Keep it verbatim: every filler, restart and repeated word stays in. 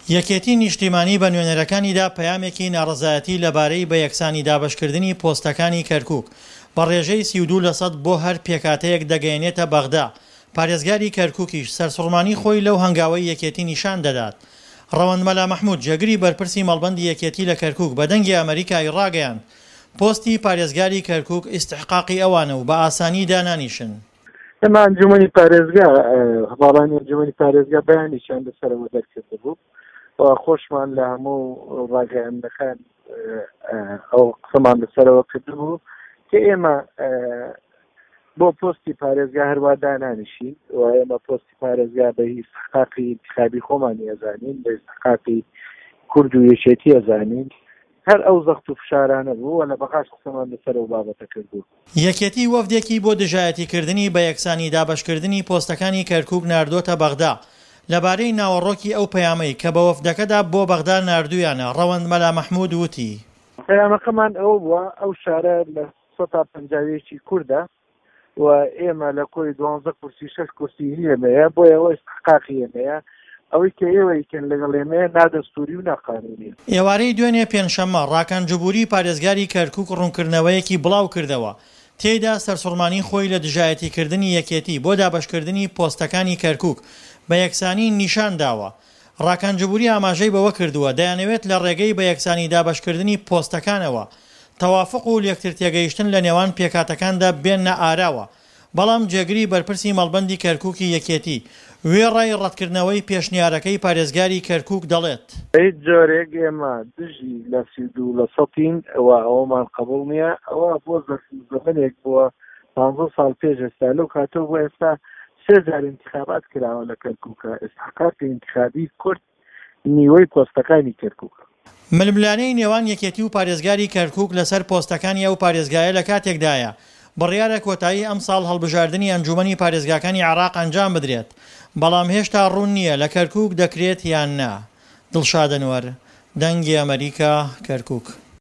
یەکێتی نیشتیمانی بە نوێنەرەکانیدا پەیامێکی ناڕەزایەتی لەبارەی بە یەکسانی دابەشکردنی پۆستەکانی کەرکوک بە ڕێژەی سی و دوو لەسەد بۆ هەر پێکهاتەیەک دەگەیەنێتە بەغدا، پارێزگاری کەرکوکیش سەرسوڕمانی خۆی لەو هەنگاوەی یەکێتی نیشان دەدات. ڕەوەند مەلا مەحمود جێگری بەرپرسی مەڵبەندی یەکێتی لە کەرکوک بە دەنگی ئەمەریکای ڕاگەیاند، پۆستی پارێزگاری کەرکوک ئیستحقاقی ئەوانە و بە ئاسانی دانانیشن. ئێمە ئەنجومەنی پارێزگا، هەڤاڵانی ئەنجومەنی پارێزگا بەیانێکیان لەسەرەوە دەرکردبوو و خۆشمان لە هەموو ڕاگەیاندنەکان ئەو قسەمان لەسەرەوە کردبوو کە ئێمە بۆ پۆستی پارێزگا هەروە دانانیشین و ئێمە پۆستی پارێزگا بە ئیستحقاقی ئینتخابی خۆمانی ئەزانین، بە ئیستحقاقی کورد و یەکێتی ئەزانین. هەر ئەو زەخت و فشارانە بوو و لە بەغاش قسەمان لەسەر ئەو بابەتە کردوو. یەکێتی وەفدێکی بۆ دژایەتیکردنی بە یەکسانی دابەشکردنی پۆستەکانی کەرکوک ناردۆتە بەغدا، لەبارەی ناوەڕۆکی ئەو پەیامەی کە بە وەفدەکەدا بۆ بەغدا ناردوویانە، ڕەوەند مەلا مەحمود وتی. پەیامەکەمان ئەوە بووە، ئەو شارە لە سەتا پەنجا و یەکی کوردە و ئێمە لە کۆی دوانزە کورسی شەش کورسی هی ئێمەیە، بۆیە ئەوە ئیستحقاقی ئێمەیە، ئەوەی کە ئێوە ئیکەن لەگەڵ ئێمەیە نادەستووری و ناقانوونیە. ئێوارەی دوێنێ پێنجشەممە، ڕاکان جبوری پارێزگاری کەرکوک ڕوونکردنەوەیەکی بڵاوکردەوە، تێیدا سەرسوڕمانی خۆی لە دژایەتیکردنی یەکێتی بۆ دابەشکردنی پۆستەکانی کەرکوک بە یەکسانی نیشان داوە. ڕاکان جبوری ئاماژەی بەوە کردووە، دەیانەوێت لە ڕێگەی بە یەکسانی دابەشکردنی پۆستەکانەوە تەوافق و لێکترتێگەیشتن لە نێوان پێکهاتەکاندا بێننە ئاراوە، بەڵام جێگری بەرپرسی مەڵبەندی کەرکوکی یەکێتی، وێڕای ڕەتکردنەوەی پێشنیارەکەی پارێزگاری کەرکوک دەڵێت. بە هیچ جۆرێک ئێمە دژی لە سی و دوو لە سەتین و ئەوەمان قبوڵ نییە، ئەوە بۆ زەمەنێک بووە پانزە ساڵ پێش ئێستا، لەو کاتەوە بۆ ئێستا سێ جار ئینتخابات کراوە لە کەرکوکە، ئیستحقاقی ئینتخابی کورد نیوەی پۆستەکانی کەرکوکە. ململانێی نێوان یەکێتی و پارێزگاری کەرکوک لەسەر پۆستەکانی ئەو پارێزگایە لە کاتێکدایە، بڕیارە کۆتایی ئەمساڵ هەڵبژاردنی ئەنجومەنی پارێزگاکانی عێراق ئەنجام بدرێت، بەڵام هێشتا ڕوون نییە لە کەرکوک دەکرێت یان نا. دڵشاد ئەنوەر، دەنگی ئەمەریکا، کەرکوک.